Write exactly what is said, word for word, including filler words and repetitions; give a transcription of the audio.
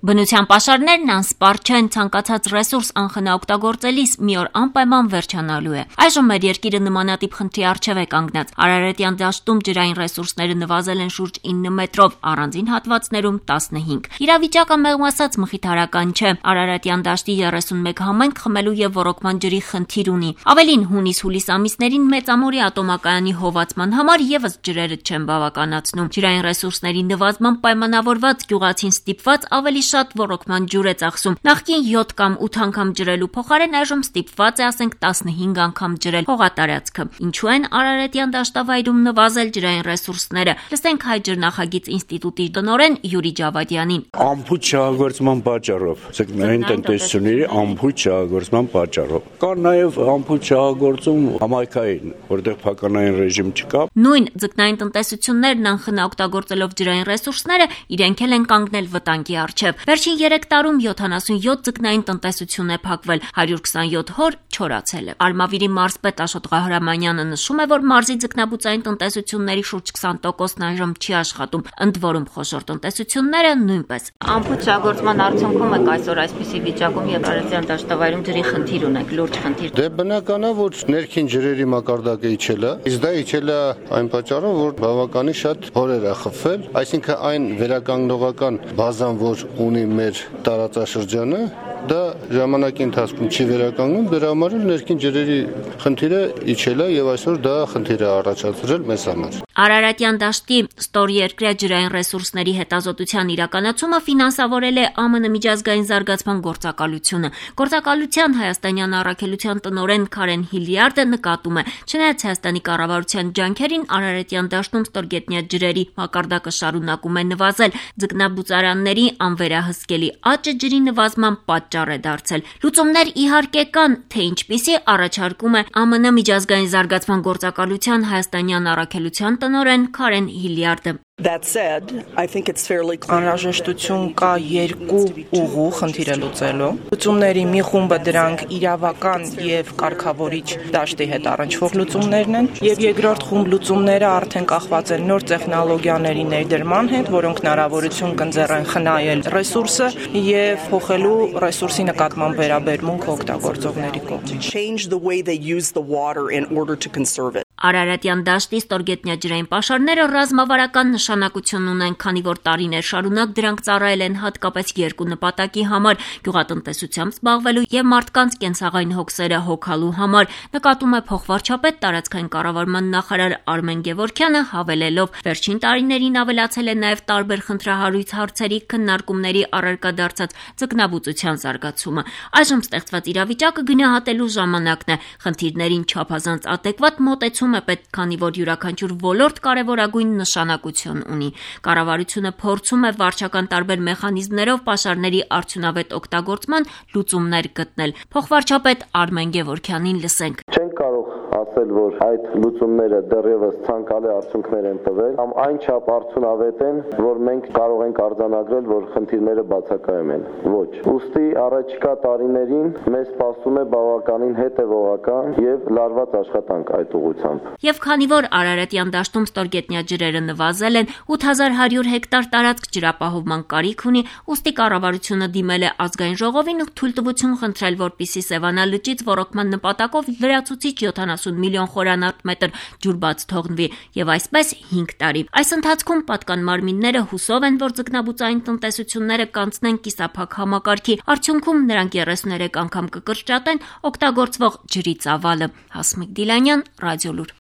Բնության պաշարներն անսպառ չեն, ցանկացած ռեսուրս անխնա օգտագործելիս մի օր անպայման վերջանալու է։ Այժմ մեր երկիրը նմանատիպ խնդրի առջև է կանգնած։ Արարատյան դաշտում ջրային ռեսուրսները նվազել են շուրջ ինը մետրով, առանձին հատվածներում տասնհինգ։ Իրավիճակը մեղմ ասած մխիթարական չէ։ Արարատյան դաշտի երեսունմեկ համայնք խմելու եւ ոռոգման ջրի խնդիր ունի։ Ավելին, հունիս-հուլիս ամիսներին Մեծամորի ատոմակայանի հովացման համար եւս ջրերը չեն բավականացնում։ Ջրային ռեսուրսների նվազման պայմանավորված գյուղացին ստիպված ավելի շատ ոռոգման ջուր է ծախսում։ Նախկին յոթ կամ ութ անգամ ջրելու փոխարեն այժմ ստիպված է ասենք տասնհինգ անգամ ջրել հողատարածքը։ Ինչու են Արարատյան դաշտավայրում նվազել ջրային ռեսուրսները։ Լսենք Հայ ջրնախագիծ ինստիտուտի տնօրեն Յուրի Ջավադյանին։ Անփույթ շահագործման պատճառով, ձկնային տնտեսությունների անփույթ շահագործման պատճառով։ Կա նաև անփույթ շահագործում համայնքային, որտեղ փականային ռեժիմ չկա։ Նույն ձկնային տնտեսություններն անխնա օգտագործելով ջրային ռեսուրսները իրենք էլ են կանգնել վտանգի առջև։ Վերջին երեք տարում յոթանասունյոթ ձկնային տնտեսություն է փակվել, հարյուր քսանյոթ հոր չորացել է։ Արմավիրի մարզպետ Աշոտ Ղահրամանյանը նշում է, որ մարզի ձկնաբուծային տնտեսությունների շուրջ քսան տոկոսն այժմ չի աշխատում, ընդ որում խոշոր տնտեսությունները նույնպես։ Անփույթ շահագործման արդյունքում եք այսօր այսպիսի վիճակում եւ Արարատյան դաշտավայրում ջրի խնդիր ունեք, լուրջ խնդիր։ Դե բնական է, որ ներքին ջրերի մակարդակը իջել է, իսկ դա իջել է այն պատճառով, որ բավականին շատ հորեր է խփվել, այսինքն այն վերականգնողական բազան, որ ունի մեր տարածաշրջանը, դա ժամանակի ընթացքում չի վերականգնում, դրա համար էլ ներքին ջրերի խնդիրը իջել է եւ այսօր դա խնդիր է առաջացրել մեզ համար։ Արարատյան դաշտի ստորերկրյա ջրային ռեսուրսների հետազոտության իրականացումը ֆինանսավորել է Ամն միջազգային զարգացման գործակալությունը։ Գործակալության հայաստանյան առաքելության տնօրեն Քարեն Հիլիարդը նկատում է, չնայած Հայաստանի կառավարության ջանքերին Արարատյան դաշտում ստորգետնյա ջրերի մակարդակը շարունակում է նվազել, ձկնաբուծարանների անվերահսկելի աճը ջրի նվազման պատճառ է դարձել։ Լուծումներ իհարկե կան, թե ինչպիսի առաջարկում է Ամն միջազգային զարգացման գործակալության հայաստանյան առաքելության տնօրեն Քարեն Հիլիարդը։ That said, I think it's fairly clear. Անհրաժեշտություն կա երկու ուղու խնդիրը լուծելու։ Լուծումների մի խումբը դրանք իրավական եւ կարգավորիչ դաշտի հետ առնչվող լուծումներն են, եւ երկրորդ խումբ լուծումները արդեն կախված են նոր տեխնոլոգիաների ներդրման հետ, որոնք հնարավորություն կընձեռեն խնայել ռեսուրսը եւ փոխելու ռեսուրսի նկատմամբ վերաբերմունք օգտագործողների կողմից։ Change the way they use the water in order to conserve it. Արարատյան դաշտի ստորգետնյա ջրային պաշարները ռազմավարական նշանակություն ունեն, քանի որ տարիներ շարունակ դրանք ծառայել են հատկապես երկու նպատակի համար՝ գյուղատնտեսությամբ զբաղվելու եւ մարդկանց կենցաղային հոգսերը հոգալու համար, նկատում է փոխվարչապետ տարածքային կառավարման նախարար Արմեն Գևորգյանը, հավելելով. վերջին տարիներին ավելացել է նաեւ տարբեր խնդրահարույց հարցերի քննարկումների առարկա դարձած ձկնաբուծության զարգացումը։ Այժմ ստեղծված իրավիճակը գնահատելու ժամանակն է, խնդիրներին չափազանց ադեկվատ մոտեցում է պետք, քանի որ յուրաքանչյուր ոլորտ կարևորագույն նշանակություն ունի։ Կառավարությունը փորձում է վարչական տարբեր մեխանիզմներով պաշարների արդյունավետ օգտագործման լուծումներ գտնել։ Փոխվարչապետ Արմեն Գևորգյանին լսենք։ Չենք կարող ասել, որ այդ լուծումները դեռևս ցանկալի արդյունքներ են տվել, կամ այնչափ արդյունավետ են, որ մենք կարող ենք արձանագրել, որ խնդիրները բացակայում են։ Ոչ։ Ուստի առաջիկա տարիներին մեզ սպասում է բավականին հետևողական եւ լարված աշխատանք այդ ուղղությամբ։ Եվ քանի որ Արարատյան դաշտում ստորգետնյա ջրերը նվազել են, ութ հազար հարյուր հեկտար տարածք ջրապահովման կարիք ունի, ուստի կառավարությունը դիմել է ազգային ժողովին ու թույլտվություն խնդրել, որպեսզի Սևանա լճից ոռոգման նպատակով լրացուցիչ յոթանասուն միլիոն խորանարդ մետր ջուր բաց թողնվի, եւ այսպես հինգ տարի։ Այս ընթացքում պատկան մարմինները հուսով են, որ ձկնաբուծային տնտեսությունները կանցնեն կիսափակ համակարգի, արդյունքում նրանք երեսուներեք անգամ կկրճատեն օգտագործվող ջրի ծավալը։ Հասմիկ Դիլանյան, Ռադիոլուր։